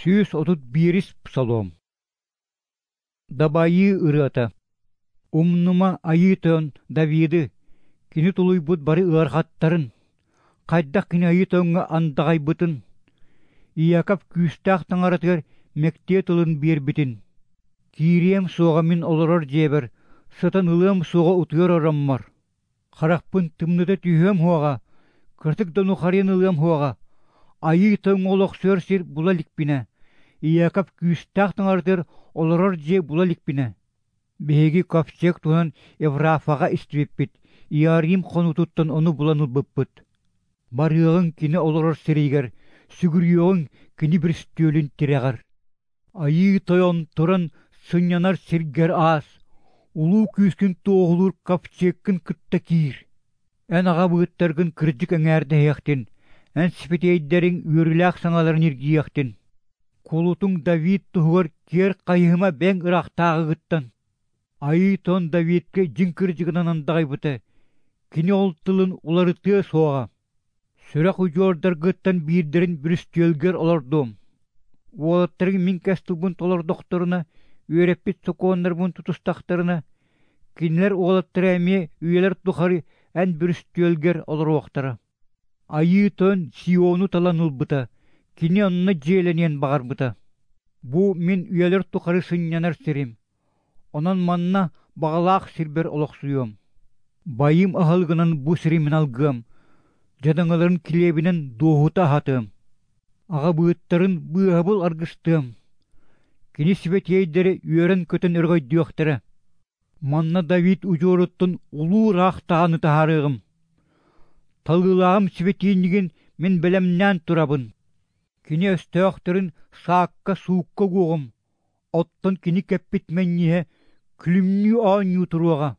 131-ис Псалом. Дабайыы ырыата. Умнума Айыы Тойон Давиды, кини тулуйбут бары ыарахаттарын, хайдах кини Айыы Тойоҥҥо андаҕайбытын, Иаков күүстээх таҥаратыгар мэктиэ тылын биэрбитин. Киириэм суоҕа мин олорор дьиэбэр, сытан ылыам суоҕа утуйар ороммор. Харахпын тымныта түһүөм суоҕа, кыратык да нухарыйан ылыам суоҕа, Айыы Тойоҥҥо олохсуйар сир була иликпинэ, Иаков күүстээх таҥаратыгар олорор дьиэ була иликпинэ. Биһиги ковчег туһунан Еврафаҕа истибиппит, Иарим хонуутуттан ону булан ылбыппыт. Барыаҕыҥ кини олорор сиригэр, сүгүрүйүөҕүҥ кини бүрүстүөлүн тирэҕэр. Айыы Тойон туран сынньанар сиргэр аас, улуу күүскүн туоһулуур ковчегкын кытта киир. Эн аҕабыыттаргын кырдьык эҥээрдэһиэхтин, эн сибэтиэйдэриҥ үөрүүлээх саҥаларын иргиэхтин. Кулутуҥ Давид туһугар киэр хайыһыма бэйэҥ ыраахтааҕыгыттан. Айыы Тойон Давидка дьиҥ кырдьыгынан андаҕайбыта, кини ол тылын уларытыа суоҕа. Сүрэх удьуордаргыттан биирдэрин бүрүстүөлгэр олордуом. Уолаттарыҥ мин кэс тылбын толордохторуна, үөрэппит сокуоннарбын тутустахтарына, кинилэр уолаттара эмиэ үйэлэр тухары эн бүрүстүөлгэр олоруохтара. Айыы Тойон Сиону талан ылбыта, кини онно дьиэлэниэн баҕарбыта. Бу мин үйэлэр тухары сынньанар сирим, Онон манна баҕалаах сирбэр олохсуйуом. Байым аһылыгынан бу сири мин алгыам, дьадаҥыларын килиэбинэн дуоһута аһатыам, аҕабыыттарын быыһабыл аргыстыам. Кини сибэтиэйдэрэ үөрэн-көтөн өрөгөйдүөхтэрэ. Манна Давид удьуоруттан улуу ыраахтааҕыны таһаарыаҕым. Талыылааҕым сибэтиинньигин мин бэлэмнээн турабын. Кини өстөөхтөрүн саакка-суукка угуоҕум, Оттон кини кэппит мэнньиһэ күлүмнүү оонньуу туруоҕа.